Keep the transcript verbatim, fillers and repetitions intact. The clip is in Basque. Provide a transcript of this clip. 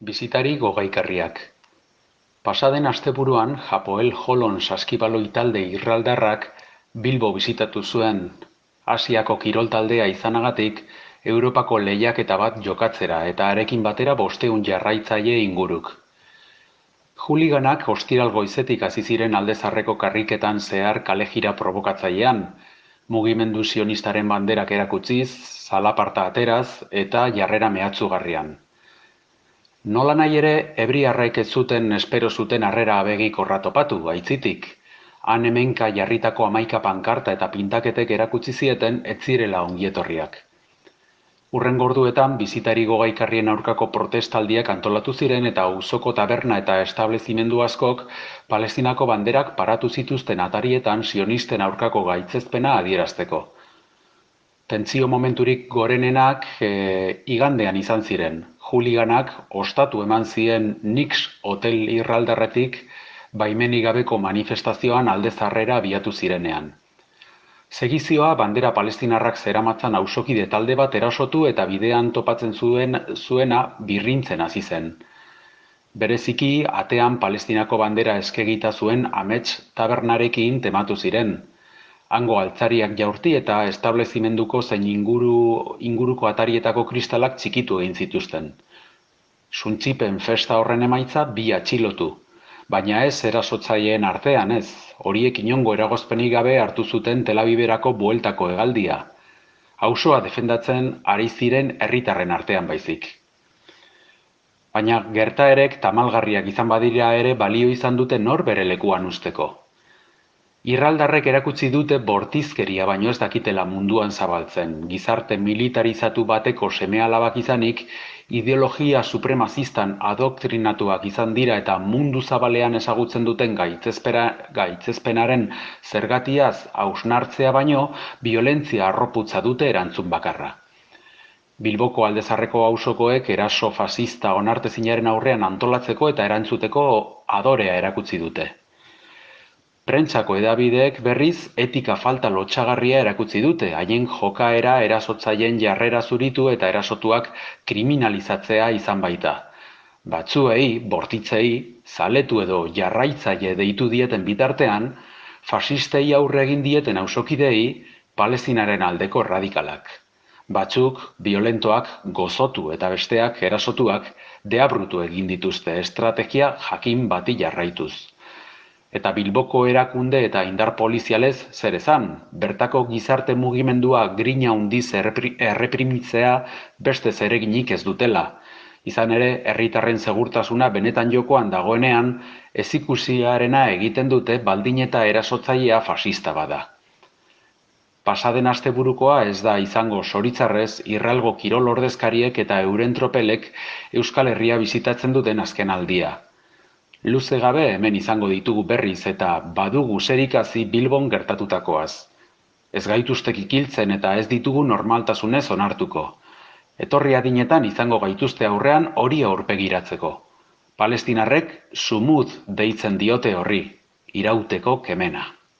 Bisitari gogaikarriak. Pasaden asteburuan Hapoel Holon saskibaloi talde irraldarrak Bilbo bisitatu zuen Asiako kirol taldea izanagatik Europako lehiaketa bat jokatzera eta harekin batera bostehun jarraitzaile inguruk. Juliganak ostiral goizetik hasi ziren Alde Zaharreko karriketan zehar kalejira probokatzailean, mugimendu sionistaren banderak erakutziz, zalaparta ateraz eta jarrera mehatxugarrian. Nola nahi ere, ebriarrek ez zuten espero zuten harrera abegikorra topatu, aitzitik. Han hemenka jarritako hamaika pankarta eta pintaketek erakutsi zieten ez zirela ongietorriak. Hurrengo orduetan bisitari gogaikarrien aurkako protestaldiak antolatu ziren eta auzoko taberna eta establezimendu askok Palestinako banderak paratu zituzten atarietan sionisten aurkako gaitzezpena adierazteko. Tentsio momenturik gorenenak e, igandean izan ziren. Juliganak ostatu eman zien Nix hotel irraldarretik baimenik gabeko manifestazioan Alde Zaharrera abiatu zirenean. Segizioa bandera palestinarrak zeramatzan auzokide talde bat erasotu eta bidean topatzen zuen zuena birrintzen hasi zen. Bereziki atean Palestinako bandera eskegita zuen amets tabernarekin tematu ziren. Hango altzariak jaurti eta establezimenduko zein inguru, inguruko atarietako kristalak txikitu egin zituzten. Suntzipen festa horren emaitza bi atxilotu, baina ez erasotzaileen artean ez, horiek inongo eragozpenik gabe hartu zuten Tel Aviverako bueltako hegaldia. Auzoa defendatzen ari ziren herritarren artean baizik. Baina gertaerek tamalgarriak izan badira ere balio izan dute nor bere lekuan usteko. Irraldarrek erakutsi dute bortizkeria baino ez dakitela munduan zabaltzen, gizarte militarizatu bateko seme-alabak izanik, ideologia supremazistan adoktrinatuak izan dira eta mundu zabalean ezagutzen duten gaitzezpenaren zergatiaz hausnartzea baino, biolentzia arroputza dute erantzun bakarra. Bilboko Alde Zaharreko auzokoek eraso fasista onartezinaren aurrean antolatzeko eta erantzuteko adorea erakutsi dute. Prentsako hedabideek berriz etika falta lotsagarria erakutsi dute, haien jokaera erasotzaileen jarrera zuritu eta erasotuak kriminalizatzea izan baita. Batzuei, bortitzei, zaletu edo jarraitzaile deitu dieten bitartean, fasistei aurre egin dieten auzokidei Palestinaren aldeko radikalak. Batzuk, violentoak, gozotu eta besteak, erasotuak, deabrutu egin dituzte estrategia jakin bati jarraituz. Eta Bilboko erakunde eta indar polizialez zer esan, bertako gizarte mugimendua grina handiz erreprimitzea beste zereginik ez dutela. Izan ere, herritarren segurtasuna benetan jokoan dagoenean, ezikusiarena egiten dute baldin eta erasotzailea fasista bada. Pasaden asteburukoa ez da izango zoritzarrez irralgo kirol ordezkariek eta euren tropelek Euskal Herria bisitatzen duten azken aldia. Luze gabe hemen izango ditugu berriz eta badugu zerikusi Bilbon gertatutakoaz. Ez gaituzte kikiltzen eta ez ditugu normaltasunez onartuko. Etorri adinetan izango gaituzte aurrean hori aurpegiratzeko. Palestinarrek sumud deitzen diote horri, irauteko kemena.